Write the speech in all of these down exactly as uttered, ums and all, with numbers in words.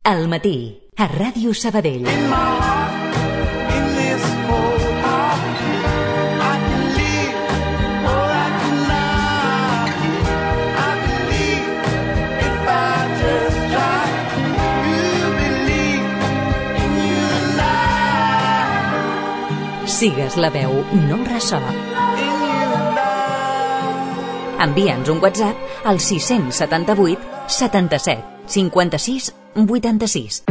Al matí, a Ràdio Sabadell. Sigues la veu, no ressò. Envia'ns un WhatsApp al sis set vuit setanta-set cinquanta-sis vuitanta-sis.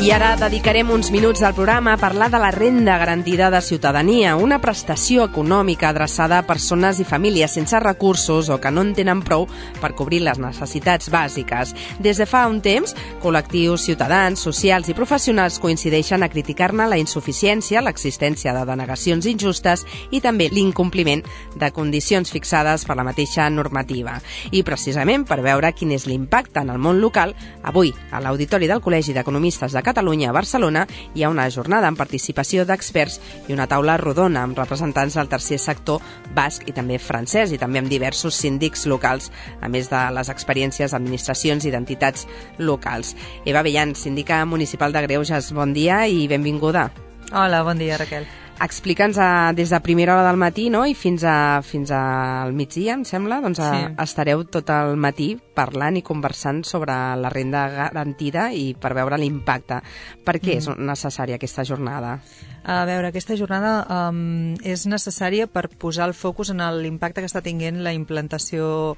I ara dedicarem uns minuts del programa a parlar de la renda garantida de ciutadania, una prestació econòmica adreçada a persones i famílies sense recursos o que no en tenen prou per cobrir les necessitats bàsiques. Des de fa un temps, col·lectius ciutadans, socials i professionals coincideixen a criticar-ne la insuficiència, l'existència de denegacions injustes i també l'incompliment de condicions fixades per la mateixa normativa. I precisament per veure quin és l'impacte en el món local, avui, a l'Auditori del Col·legi d'Economistes de Catalunya a Barcelona hi ha una jornada amb participació d'experts i una taula rodona amb representants del tercer sector basc i també francès i també amb diversos síndics locals, a més de les experiències d'administracions i d'entitats locals. Eva Bellan, síndica municipal de Greuges, bon dia i benvinguda. Hola, bon dia, Raquel. Explica'ns a, des de primera hora del matí, no?, i fins, a, fins al migdia, em sembla, doncs a, sí. estareu tot el matí parlant i conversant sobre la renda garantida i per veure l'impacte. Per què mm. és necessària aquesta jornada? A veure, aquesta jornada um, és necessària per posar el focus en l'impacte que està tinguent la implantació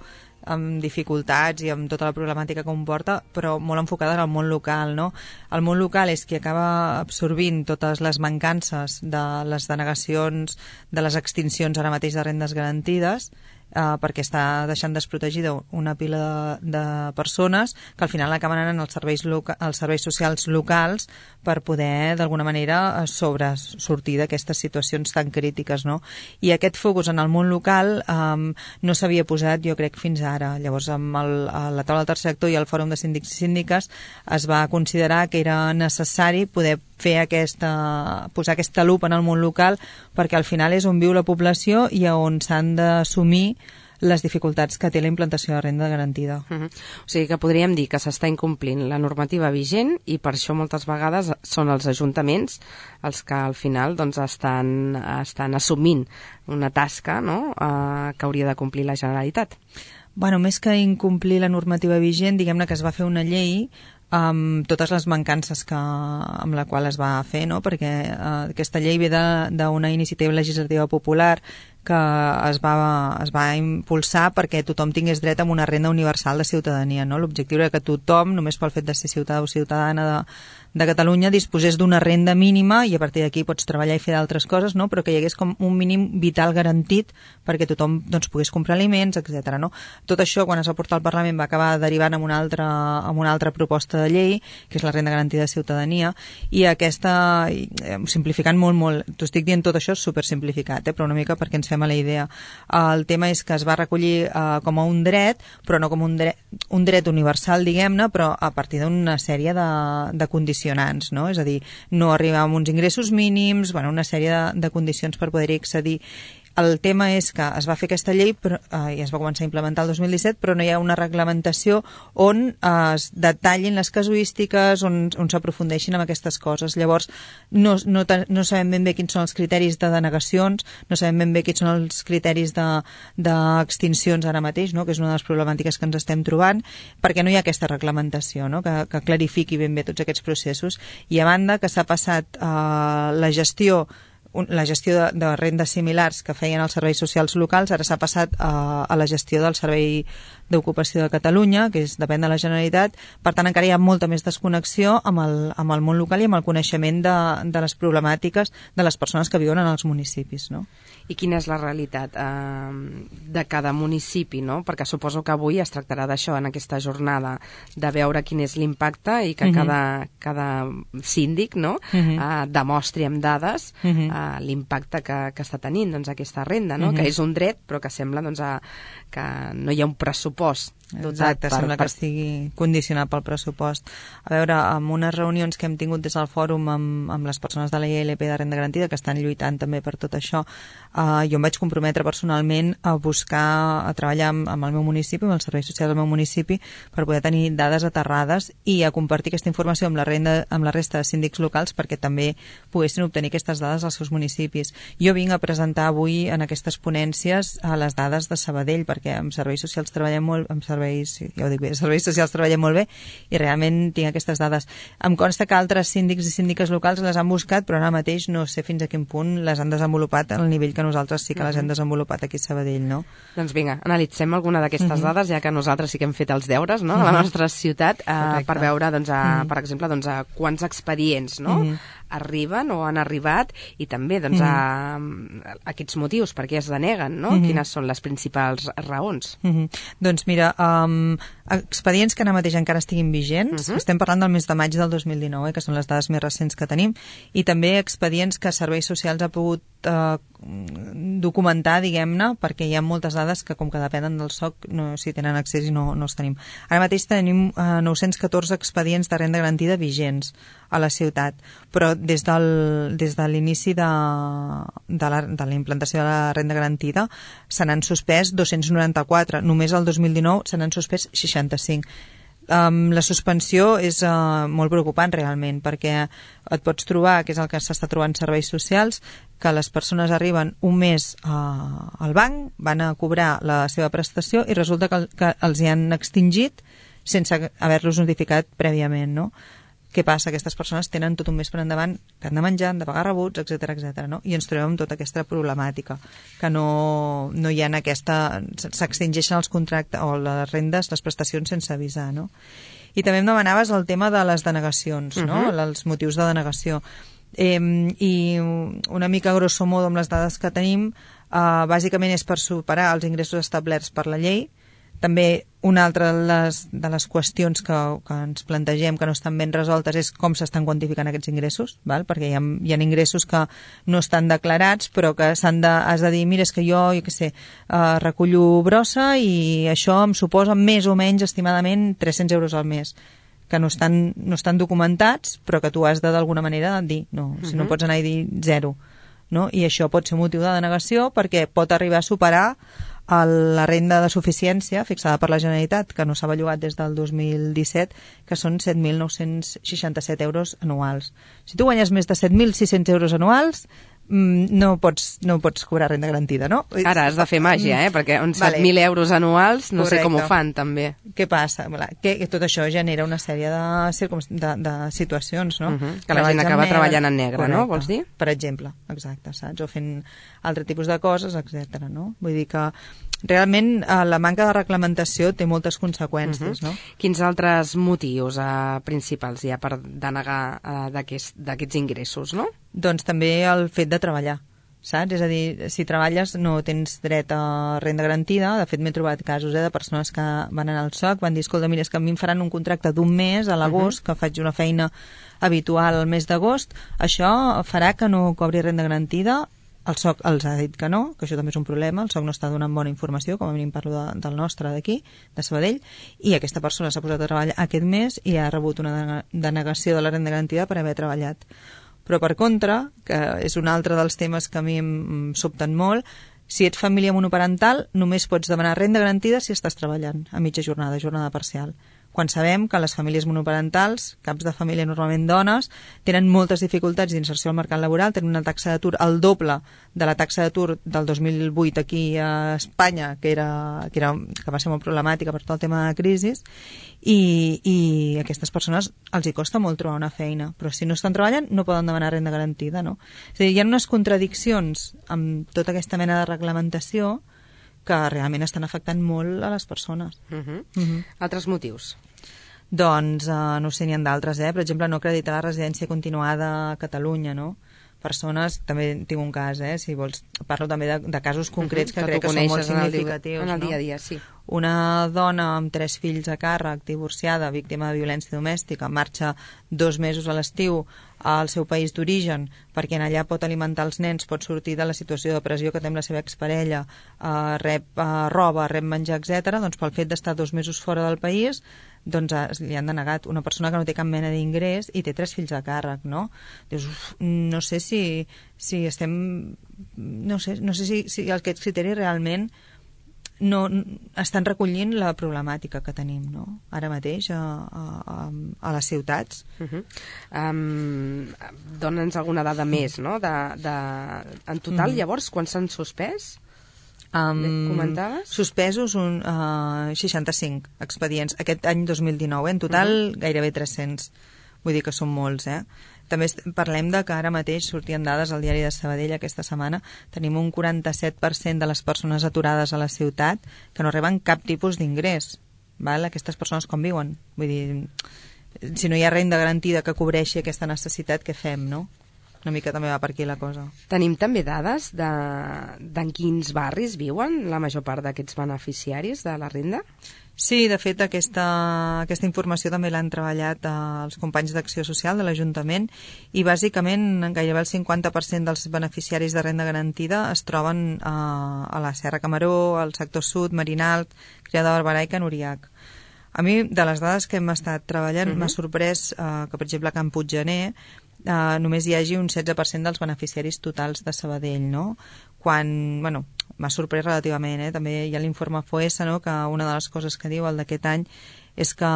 amb dificultats i amb tota la problemàtica que comporta, però molt enfocada en el món local, no? El món local és qui acaba absorbint totes les mancances de les denegacions, de les extincions ara mateix de rendes garantides, eh, perquè està deixant desprotegida una pila de, de persones que al final acaben anant als serveis, loca, als serveis socials locals per poder, d'alguna manera, sobresortir d'aquestes situacions tan crítiques, no? I aquest focus en el món local eh, no s'havia posat, jo crec, fins ara. Llavors, amb el, la taula del tercer sector i el fòrum de síndics i síndiques es va considerar que era necessari poder fer aquesta, posar aquesta lupa en el món local perquè al final és on viu la població i on s'han d'assumir les dificultats que té la implantació de renda garantida. Uh-huh. O sigui que podríem dir que s'està incomplint la normativa vigent i per això moltes vegades són els ajuntaments els que al final doncs, estan, estan assumint una tasca, no?, eh, que hauria de complir la Generalitat. Bueno, més que incomplir la normativa vigent, diguem-ne que es va fer una llei amb totes les mancances que, amb la qual es va fer, no? Perquè eh, aquesta llei ve d'una iniciativa legislativa popular que es va, es va impulsar perquè tothom tingués dret a una renda universal de ciutadania, no? L'objectiu era que tothom, només pel fet de ser ciutadà o ciutadana de, de Catalunya, disposés d'una renda mínima i a partir d'aquí pots treballar i fer d'altres coses, no? Però que hi hagués com un mínim vital garantit perquè tothom doncs, pogués comprar aliments, etcètera. No? Tot això, quan es va portar al Parlament, va acabar derivant en una altra, en una altra proposta de llei, que és la renda garantida de ciutadania, i aquesta, simplificant molt, molt, t'ho estic dient tot això supersimplificat, eh? Però una mica perquè ens fem a la idea. El tema és que es va recollir uh, com a un dret, però no com un dret, un dret universal, diguem-ne, però a partir d'una sèrie de, de condicionants, no? És a dir, no arribar a uns ingressos mínims, bueno, una sèrie de, de condicions per poder-hi accedir. El tema és que es va fer aquesta llei però, eh, i es va començar a implementar el dos mil disset, però no hi ha una reglamentació on eh, es detallin les casuístiques, on, on s'aprofundeixin amb aquestes coses. Llavors, no, no, no sabem ben bé quins són els criteris de denegacions, no sabem ben bé quins són els criteris d'extincions de, ara mateix, no? Que és una de les problemàtiques que ens estem trobant, perquè no hi ha aquesta reglamentació, no? que, que clarifiqui ben bé tots aquests processos. I a banda que s'ha passat eh, la gestió la gestió de, de rendes similars que feien els serveis socials locals, ara s'ha passat a, a la gestió del Servei d'Ocupació de Catalunya, que és, depèn de la Generalitat. Per tant, encara hi ha molta més desconnexió amb el, amb el món local i amb el coneixement de, de les problemàtiques de les persones que viuen en els municipis, no? I quina és la realitat eh, de cada municipi, no? Perquè suposo que avui es tractarà d'això en aquesta jornada, de veure quin és l'impacte i que uh-huh. cada, cada síndic, no? uh-huh. eh, demostri amb dades uh-huh. eh, l'impacte que, que està tenint doncs, aquesta renda, no? uh-huh. que és un dret però que sembla doncs, a, que no hi ha un pressupost Exacte, per, sembla per... que estigui condicionat pel pressupost. A veure, amb unes reunions que hem tingut des del fòrum amb, amb les persones de la I L P de renda garantida, que estan lluitant també per tot això, eh, jo em vaig comprometre personalment a buscar, a treballar amb, amb el meu municipi, amb els serveis socials del meu municipi, per poder tenir dades aterrades i a compartir aquesta informació amb la, renda, amb la resta de síndics locals perquè també poguessin obtenir aquestes dades als seus municipis. Jo vinc a presentar avui en aquestes ponències a les dades de Sabadell, perquè amb serveis socials treballem molt, amb serveis, ja ho dic bé, serveis socials treballem molt bé i realment tinc aquestes dades. Em consta que altres síndics i síndiques locals les han buscat, però ara mateix no sé fins a quin punt les han desenvolupat al nivell que nosaltres sí que les hem desenvolupat aquí a Sabadell, no? Doncs vinga, analitzem alguna d'aquestes uh -huh. dades, ja que nosaltres sí que hem fet els deures, no?, a la nostra ciutat, eh, per veure, doncs, a, uh -huh. per exemple, doncs, a quants expedients, no?, uh -huh. arriben o han arribat i també, doncs, uh -huh. a, a aquests motius, per què es deneguen, no? Uh -huh. Quines són les principals raons? Uh -huh. Doncs mira, um, expedients que ara mateix encara estiguin vigents, uh -huh. estem parlant del mes de maig del dos mil dinou, eh, que són les dades més recents que tenim, i també expedients que Serveis Socials ha pogut eh, documentar, diguem-ne, perquè hi ha moltes dades que, com que depenen del S O C, no, si tenen accés i no, no els tenim. Ara mateix tenim eh, nou-cents catorze expedients de renda garantida vigents a la ciutat, però des del, des de l'inici de, de, la, de la implantació de la renda garantida se n'han suspès dos-cents noranta-quatre, només el dos mil dinou se n'han suspès seixanta-cinc. Um, la suspensió és uh, molt preocupant realment, perquè et pots trobar, que és el que s'està trobant serveis socials, que les persones arriben un mes uh, al banc, van a cobrar la seva prestació i resulta que, que els hi han extingit sense haver-los notificat prèviament, no? Què passa? Aquestes persones tenen tot un mes per endavant que han de menjar, han de pagar rebuts, etcètera, etcètera, no? I ens trobem amb tota aquesta problemàtica, que no, no hi ha aquesta... s'extingeixen els contractes o les rendes, les prestacions sense avisar, no? I també em demanaves el tema de les denegacions, no? Uh-huh. Els motius de denegació. Eh, I una mica grosso modo amb les dades que tenim, eh, bàsicament és per superar els ingressos establerts per la llei. També una altra de les, de les qüestions que, que ens plantegem que no estan ben resoltes és com s'estan quantificant aquests ingressos, val? Perquè hi ha, hi ha ingressos que no estan declarats però que s'han de, has de dir, mira, és que jo, jo què sé, uh, recullo brossa i això em suposa més o menys estimadament tres-cents euros al mes, que no estan, no estan documentats però que tu has de d'alguna manera dir, no, si no pots anar i dir zero, no? I això pot ser motiu de denegació perquè pot arribar a superar la renda de suficiència fixada per la Generalitat, que no s'ha bellugat des del dos mil disset, que són set mil nou-cents seixanta-set euros anuals. Si tu guanyes més de set mil sis-cents euros anuals, no pots, no pots cobrar renda garantida, no? Ara has de fer màgia, eh? Perquè uns set mil vale. euros anuals no Correcte. sé com ho fan, també. Què passa? Que, que tot això genera una sèrie de, de, de situacions, no? Uh -huh. Que la gent acaba treballant en negre, Correcte. no? Vols dir? Per exemple, exacte, saps? O fent altre tipus de coses, etcètera, no? Vull dir que realment eh, la manca de reglamentació té moltes conseqüències, uh -huh. no? Quins altres motius eh, principals hi ha per denegar eh, d'aquests ingressos, no? Doncs també el fet de treballar, saps? És a dir, si treballes no tens dret a renda garantida. De fet, m'he trobat casos eh, de persones que van anar al S O C, van dir, escolta, mira, és que a mi em faran un contracte d'un mes a l'agost, uh -huh. que faig una feina habitual al mes d'agost, això farà que no cobri renda garantida. El S O C els ha dit que no, que això també és un problema, el S O C no està donant bona informació, com a mínim parlo de, del nostre d'aquí, de Sabadell, i aquesta persona s'ha posat a treballar aquest mes i ha rebut una denegació de la renda garantida per haver treballat. Però per contra, que és un altre dels temes que a mi em sobten molt, si ets família monoparental només pots demanar renda garantida si estàs treballant a mitja jornada, jornada parcial. Quan sabem que les famílies monoparentals, caps de família normalment dones, tenen moltes dificultats d'inserció al mercat laboral, tenen una taxa d'atur al doble de la taxa d'atur del dos mil vuit aquí a Espanya, que, era, que, era, que va ser molt problemàtica per tot el tema de crisi, i, i a aquestes persones els hi costa molt trobar una feina, però si no estan treballant no poden demanar renda garantida, no? És a dir, hi ha unes contradiccions amb tota aquesta mena de reglamentació que realment estan afectant molt a les persones. Uh -huh. Uh -huh. Altres motius? Doncs, uh, no sé, n'hi ha d'altres, eh? Per exemple, no acreditar la residència continuada a Catalunya, no? Persones, també tinc un cas, eh? Si vols, parlo també de, de casos concrets uh -huh. que, que crec que són molt significatius. En el dia a dia, sí. una dona amb tres fills a càrrec, divorciada, víctima de violència domèstica, marxa dos mesos a l'estiu al seu país d'origen perquè en allà pot alimentar els nens, pot sortir de la situació de pressió que té amb la seva exparella, eh, rep eh, roba, rep menjar, etcètera, doncs pel fet d'estar dos mesos fora del país doncs eh, li han denegat una persona que no té cap mena d'ingrés i té tres fills a càrrec, no? Dius, uf, no sé si, si estem... No sé, no sé si, si aquests criteris realment no estan recollint la problemàtica que tenim, no? Ara mateix a, a, a les ciutats. Uh-huh. um, Dóna'ns alguna dada més, no? De, de... En total, uh-huh. Llavors, quan s'han suspès? Um, comentaves? Suspesos un, uh, seixanta-cinc expedients aquest any dos mil dinou, eh? En total uh-huh. gairebé tres-cents, vull dir que són molts, eh? També parlem de que ara mateix sortien dades al diari de Sabadell aquesta setmana, tenim un quaranta-set per cent de les persones aturades a la ciutat que no reben cap tipus d'ingrés, val? Aquestes persones com viuen? Vull dir, si no hi ha renda garantida que cobreixi aquesta necessitat, què fem, no? Una mica també va per aquí la cosa. Tenim també dades de, d'en quins barris viuen la major part d'aquests beneficiaris de la renda? Sí, de fet, aquesta, aquesta informació també l'han treballat eh, els companys d'Acció Social de l'Ajuntament i bàsicament gairebé el cinquanta per cent dels beneficiaris de renda garantida es troben eh, a la Serra Camaró, al sector sud, Marinalt, Criada de Barberà i Can Uriac. A mi, de les dades que hem estat treballant, uh-huh. m'ha sorprès eh, que, per exemple, a Can Puiggener Uh, només hi hagi un setze per cent dels beneficiaris totals de Sabadell, no? Quan, bueno, m'ha sorprès relativament, eh? També hi ha l'informe F O E S, no? Que una de les coses que diu el d'aquest any és que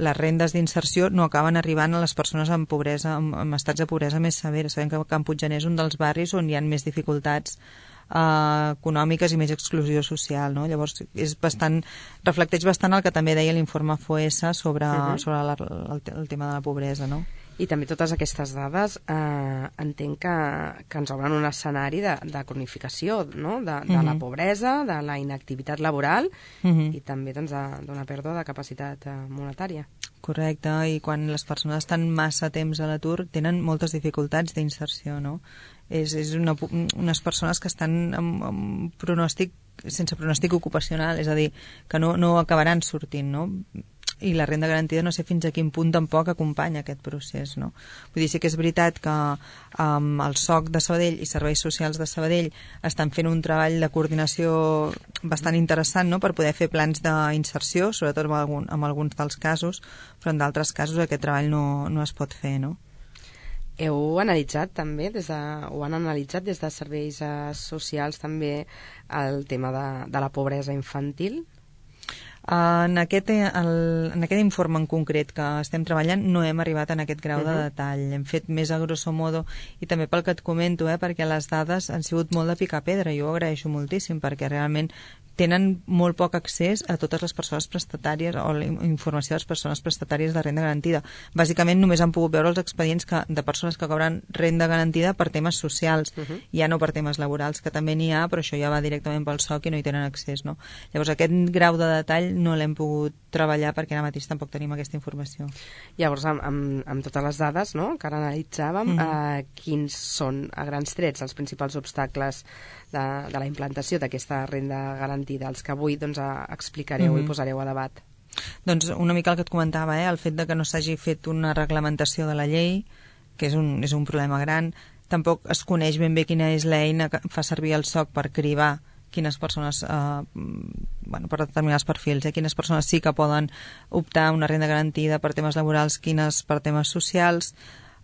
les rendes d'inserció no acaben arribant a les persones amb pobresa, amb, amb estats de pobresa més severes. Sabem que Can Puiggener és un dels barris on hi ha més dificultats Uh, econòmiques i més exclusió social, no? Llavors és bastant, reflecteix bastant el que també deia l'informe F O E S sobre, uh-huh. sobre la, el, el tema de la pobresa, no? I també totes aquestes dades eh, entenc que, que ens obren un escenari de, de cronificació, no? de, de uh-huh. la pobresa, de la inactivitat laboral uh-huh. i també doncs, d'una pèrdua de capacitat eh, monetària. Correcte, i quan les persones estan massa temps a l'atur tenen moltes dificultats d'inserció, no? És, és una, unes persones que estan amb, amb pronòstic, sense pronòstic ocupacional, és a dir, que no, no acabaran sortint, no? I la renda garantida no sé fins a quin punt tampoc acompanya aquest procés, no? Vull dir, sí que és veritat que um, el S O C de Sabadell i Serveis Socials de Sabadell estan fent un treball de coordinació bastant interessant, no?, per poder fer plans d'inserció, sobretot en, algun, en alguns dels casos, però en d'altres casos aquest treball no, no es pot fer, no? Heu analitzat també, des de, o han analitzat des de serveis eh, socials també el tema de, de la pobresa infantil? En aquest, el, en aquest informe en concret que estem treballant no hem arribat en aquest grau uh-huh. de detall. Hem fet més a grosso modo i també pel que et comento, eh, perquè les dades han sigut molt de picar pedra. Jo ho agraeixo moltíssim perquè realment tenen molt poc accés a totes les persones prestatàries o la informació de les persones prestatàries de renda garantida. Bàsicament només han pogut veure els expedients que, de persones que cobren renda garantida per temes socials, uh-huh. ja no per temes laborals, que també n'hi ha, però això ja va directament pel S O C i no hi tenen accés, no? Llavors aquest grau de detall no l'hem pogut treballar perquè ara mateix tampoc tenim aquesta informació. Llavors, amb, amb, amb totes les dades, no?, que ara analitzàvem, uh-huh. eh, quins són, a grans trets, els principals obstacles de, de la implantació d'aquesta renda garantida, els que avui doncs, explicareu uh-huh. i posareu a debat? Doncs una mica el que et comentava, eh? El fet de que no s'hagi fet una reglamentació de la llei, que és un, és un problema gran. Tampoc es coneix ben bé quina és l'eina que fa servir el S O C per cribar quines persones, eh, bueno, per determinats perfils, eh, quines persones sí que poden optar a una renda garantida per temes laborals, quines per temes socials.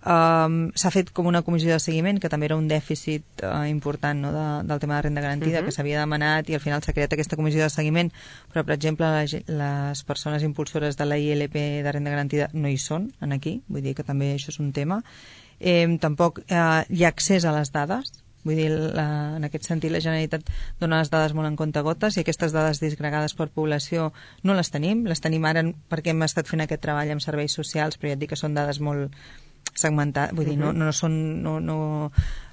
Um, s'ha fet com una comissió de seguiment, que també era un dèficit uh, important, no?, de, del tema de renda garantida, uh-huh. que s'havia demanat i al final s'ha creat aquesta comissió de seguiment, però per exemple les, les persones impulsores de la I L P de renda garantida no hi són en aquí, vull dir que també això és un tema. Eh, tampoc eh, hi ha accés a les dades. Vull dir, la, en aquest sentit la Generalitat dona les dades molt en comptagotes i aquestes dades disgregades per població no les tenim, les tenim ara perquè hem estat fent aquest treball amb serveis socials, però ja et dic que són dades molt segmentades, vull dir, no, no, són, no, no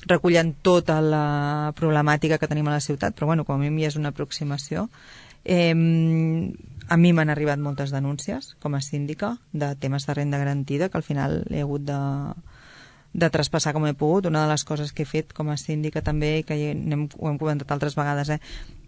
recullen tota la problemàtica que tenim a la ciutat, però bueno, com a mínim ja és una aproximació. Eh, a mi m'han arribat moltes denúncies com a síndica de temes de renda garantida que al final he hagut de de traspassar com he pogut. Una de les coses que he fet com a síndica també, i que hem, ho hem comentat altres vegades, eh,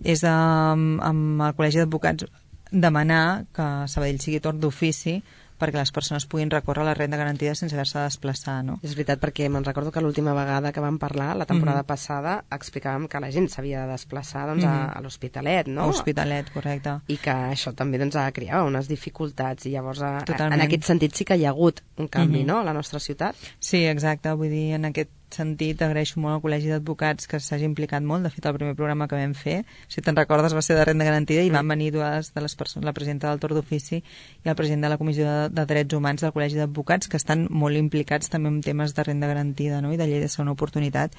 és amb, amb el Col·legi d'Advocats demanar que Sabadell sigui torn d'ofici perquè les persones puguin recórrer a la renda garantida sense haver-se de desplaçar, no? És veritat, perquè me'n recordo que l'última vegada que vam parlar, la temporada mm-hmm. passada, explicàvem que la gent s'havia de desplaçar doncs, mm-hmm. a, a l'Hospitalet, no? A l'Hospitalet, correcte. I que això també doncs, creava unes dificultats, i llavors a, a, en aquest sentit sí que hi ha hagut un canvi, mm-hmm. no?, a la nostra ciutat. Sí, exacte, vull dir, en aquest sentit agraeixo molt al Col·legi d'Advocats que s'hagi implicat molt. De fet, el primer programa que vam fer, si te'n recordes, va ser de renda garantida, i van venir dues de les persones, la presidenta del torn d'ofici i el president de la Comissió de, de Drets Humans del Col·legi d'Advocats, que estan molt implicats també en temes de renda garantida, no?, i de llei de segona oportunitat,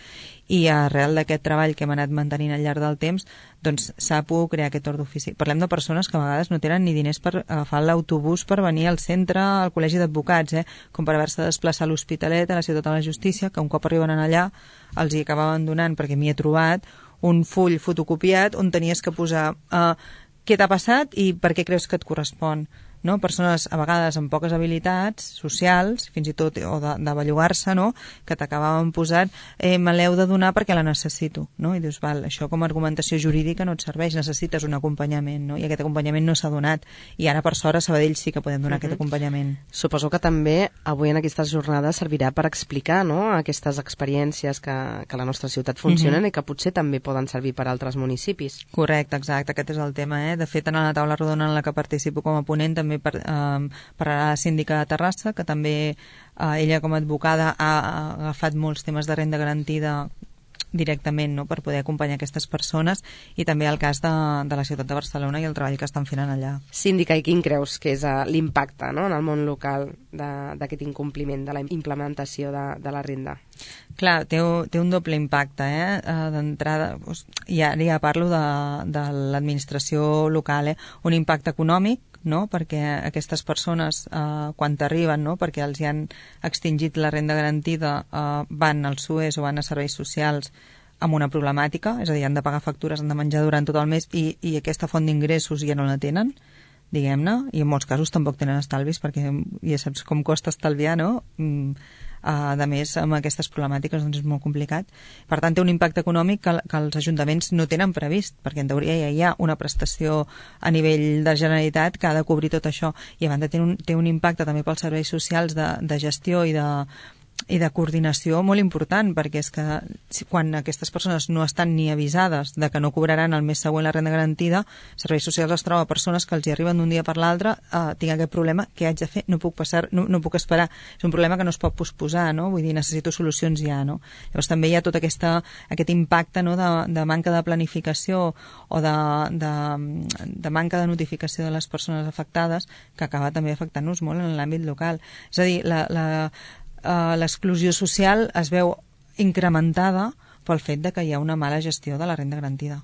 i arrel d'aquest treball que hem anat mantenint al llarg del temps, doncs s'ha pogut crear aquest torn d'ofici. Parlem de persones que a vegades no tenen ni diners per agafar l'autobús per venir al centre, al Col·legi d'Advocats, eh? com per haver-se de desplaçar a l'Hospitalet, a la Ciutat de la Justícia, que un cop arriben allà els hi acabaven donant, perquè m'hi he trobat, un full fotocopiat on tenies que posar uh, què t'ha passat i per què creus que et correspon. No? Persones a vegades amb poques habilitats socials, fins i tot, o de, de bellugar-se, no? que t'acabaven posant eh, me l'heu de donar perquè la necessito, no? I dius, val, això com a argumentació jurídica no et serveix, necessites un acompanyament, no? I aquest acompanyament no s'ha donat, i ara per sort a Sabadell sí que podem donar uh-huh. aquest acompanyament. Suposo que també avui en aquestes jornades servirà per explicar, no?, aquestes experiències que, que a la nostra ciutat funcionen uh-huh. i que potser també poden servir per a altres municipis. Correcte, exacte, aquest és el tema, eh? De fet, en la taula rodona en la que participo com a ponent també per, eh, per a la síndica de Terrassa, que també eh, ella com a advocada ha, ha agafat molts temes de renda garantida directament, no?, per poder acompanyar aquestes persones, i també el cas de, de la ciutat de Barcelona i el treball que estan fent allà. Síndica, i quin creus que és uh, l'impacte, no?, en el món local d'aquest incompliment de la implementació de, de la renda? Clar, té, té un doble impacte, eh? Uh, d'entrada, ja, ja parlo de, de l'administració local, eh? Un impacte econòmic, no? Perquè aquestes persones, eh, quan t'arriben, no? Perquè els hi han extingit la renda garantida, eh, van al S U E S o van a serveis socials amb una problemàtica, és a dir, han de pagar factures, han de menjar durant tot el mes, i, i aquesta font d'ingressos ja no la tenen, diguem-ne, i en molts casos tampoc tenen estalvis, perquè ja saps com costa estalviar, no? Mm. Uh, a més, amb aquestes problemàtiques doncs és molt complicat. Per tant, té un impacte econòmic que, que els ajuntaments no tenen previst, perquè en teoria ja hi ha una prestació a nivell de Generalitat que ha de cobrir tot això, i a banda té un, té un impacte també pels serveis socials de, de gestió i de, i de coordinació molt important, perquè és que quan aquestes persones no estan ni avisades de que no cobraran el mes següent la renda garantida, Serveis Socials es troba persones que els hi arriben d'un dia per l'altre, eh, tinc aquest problema, què haig de fer? No puc passar, no, no puc esperar. És un problema que no es pot posposar, no? Vull dir, necessito solucions ja, no? Llavors també hi ha tot aquesta, aquest impacte, no?, de, de manca de planificació o de, de, de manca de notificació de les persones afectades, que acaba també afectant-nos molt en l'àmbit local. És a dir, la, la Uh, l'exclusió social es veu incrementada pel fet de que hi ha una mala gestió de la renda garantida.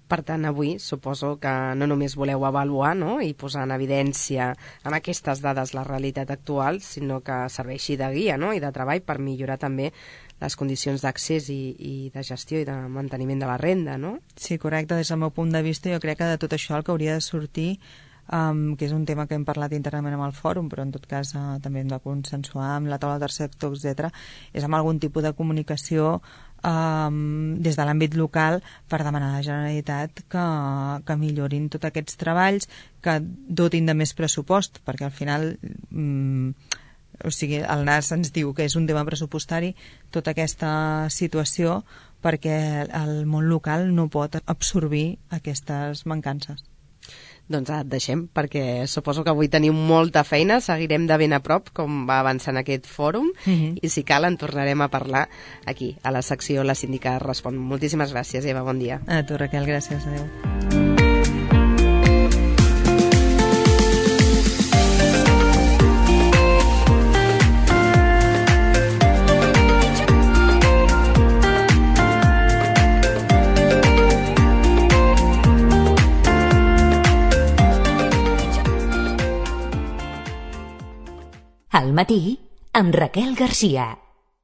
Per tant, avui suposo que no només voleu avaluar, no?, i posar en evidència amb aquestes dades la realitat actual, sinó que serveixi de guia, no?, i de treball per millorar també les condicions d'accés i, i de gestió i de manteniment de la renda, no? Sí, correcte. Des del meu punt de vista, jo crec que de tot això el que hauria de sortir, Um, que és un tema que hem parlat internament amb el fòrum, però en tot cas uh, també hem de consensuar amb la taula del tercer sector, etcètera, és amb algun tipus de comunicació um, des de l'àmbit local per demanar a la Generalitat que, que millorin tots aquests treballs, que dotin de més pressupost, perquè al final um, o sigui, el N A S ens diu que és un tema pressupostari tota aquesta situació, perquè el món local no pot absorbir aquestes mancances. Doncs et deixem, perquè suposo que avui tenim molta feina, seguirem de ben a prop com va avançant aquest fòrum, uh-huh. i si cal en tornarem a parlar aquí, a la secció La Síndica Respon. Moltíssimes gràcies, Eva, bon dia. A tu, Raquel, gràcies, adeu. Al matí, amb Raquel Garcia.